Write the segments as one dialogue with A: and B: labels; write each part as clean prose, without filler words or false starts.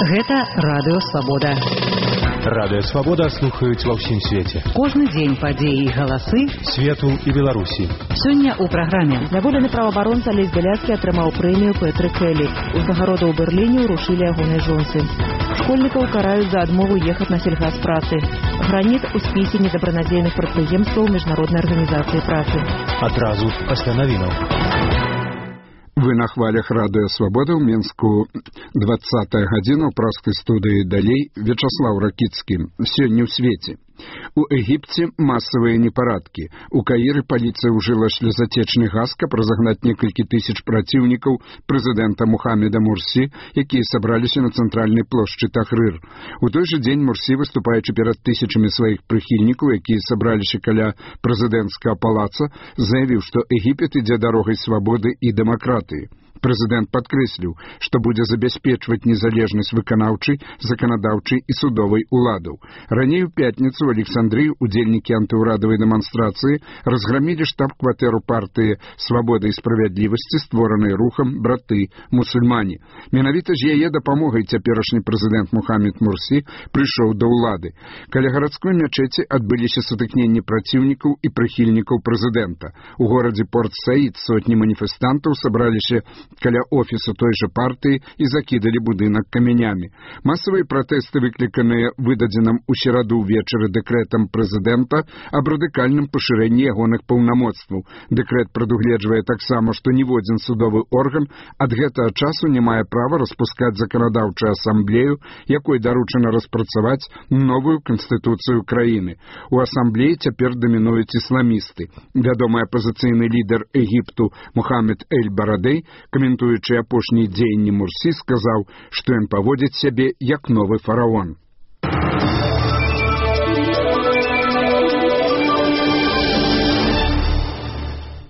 A: Гэта Радыё Свабода.
B: Радыё Свабода слухаюць ва ўсім свеце.
A: Кожны дзень падзеі і галасы
B: свету і Беларусі.
A: Сёння ў праграме.
C: Зняволены праваабаронца Алесь Бяляцкі атрымаў прэмію Петры Келлі. Узнагароды ў Берліне ўручылі ягонай жонцы. Школьнікаў караюць за адмову ехаць на сельгаспрацы. Граніт у спісе недабранадзейных прадпрыемстваў Міжнароднай арганізацыі працы.
B: Адразу пасля навінаў.
D: Вы на хвалях Радыё Свабода ў Мінску 20-я гадзіна ў праскай студыі далей Вячаслаў Ракіцкі. Сёння ў свеце. У Егіпце масавыя непарадкі. У Каіры паліцыя ўжыла слезатечны газ, каб разагнаць некалькі тысяч праціўнікаў прэзідэнта Мухаммеда Мурсі, якія сабраліся на цэнтральнай плошчы Тахрыр. У той жа дзень Мурсі, выступаючы перад тысячамі сваіх прыхільнікаў, якія сабраліся каля прэзідэнцкага палаца, заявіў, што Егіпет ідзе дарогай свабоды і дэмакратыі. Прэзідэнт падкрэсліў, што будзе забяспечваць незалежнасць выканаўчай, заканадаўчай і судовай уладаў. Раней у пятніцу ў Александрыі удзельнікі антыўрадавай дэманстрацыі разграмілі штаб-кватэру партыі «Свабода і справядлівасці», створанай рухам «Браты мусульмане». Менавіта з яе дапамогай цяперашні прэзідэнт Мухаммед Мурсі прыйшоў да ўлады. Каля гарадской мячэці адбыліся сутыкненні праціўнікаў і прыхільнікаў прэзідэнта. У горадзе Порт-Саід сотні маніфестантаў сабраліся каля офісу той жа партыі і закідалі будынак камянямі. Масавыя пратэсты, выкліканыя выдадзеным у сераду ўвечары дэкрэтам прэзідэнта аб радыкальным пашырэнні ягоных паўнамоцтваў. Дэкрэт прадугледжвае таксама, што ніводзін судовы орган ад гэтага часу не мае права распускаць заканадаўчую асамблею, якой даручана распрацаваць новую канстытуцыю краіны. У асамблеі цяпер дамінуюць ісламісты. Вядомы апазіцыйны лідар Егіпту Мухаммед Эль-Барадэй, каментуючы апошнія дзеянні Мурсі, сказаў, што ён паводзіць сябе як новы фараон.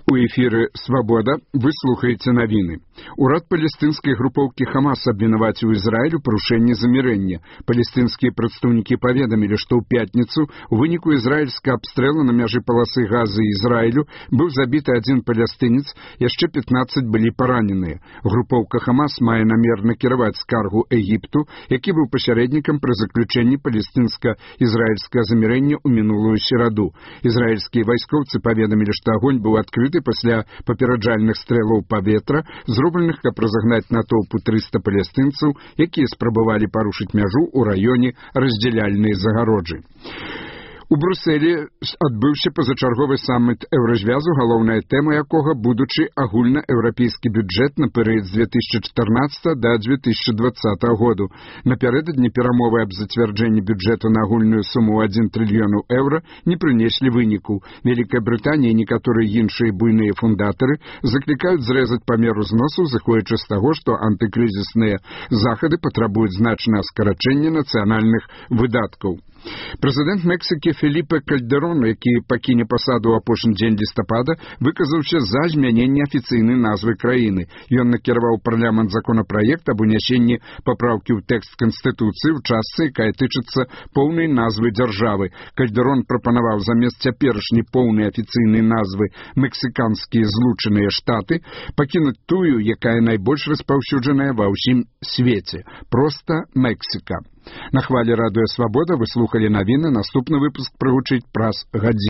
D: У эфіры «Свабода» вы слухаеце навіны. Урад палестынскай групоўкі «Хамас» абвінаваціў Ізраіль у парушэнні замірэння. Палестынскія прадстаўнікі паведамілі, што ў пятніцу у выніку ізраільскага абстрэлу на мяжы паласы Газы і Ізраілю быў забіты адзін палестынец, яшчэ 15 былі параненыя. Групоўка «Хамас» мае намер накіраваць скаргу Егіпту, які быў пасярэднікам пры заключэнні палестынска-ізраільскага замірэння ў мінулую сераду. Ізраільскія вайскоўцы паведамілі, што агонь быў адкрыты пасля папераджальных стрэлаў паветра, зробленых, каб разагнаць натоўпу 300 палестынцаў, якія спрабавалі парушыць мяжу ў раёне раздзяляльнай загароджы. У Брюсселі адбыўся пазачарговы саміт еўразвязу, галоўная тэма якога будучы агульнаеўрапейскі бюджэт на перыяд з 2014 да 2020 году. Напярэдадні перамовы аб зацвярджэнні бюджэту на агульную суму 1 трыльён еўра не прынеслі выніку. Вялікая Брытанія і некаторыя іншыя буйныя фундатары заклікаюць зрэзаць памер узносу, зыходзячы з таго, што антыкрызісныя захады патрабуюць значнае скарачэнне нацыянальных выдаткаў. Прэзідэнт Мексікі Феліпе Кальдерон, які пакіне пасаду ў апошні дзень лістапада, выказаўся за змяненне афіцыйнай назвы краіны. Ён накіраваў парламент законапраект аб унясенні папраўкі ў тэкст Канстытуцыі ў частцы, якая тычыцца поўнай назвы дзяржавы. Кальдерон прапанаваў замест цяперашняй поўнай афіцыйнай назвы «Мексіканскія злучаныя штаты» пакінуць тую, якая найбольш распаўсюджаная ва ўсім свеце – проста Мексіка. На хвалі Радыё Свабода вы слухалі навіны, наступны выпуск прагучыць праз гадзіну.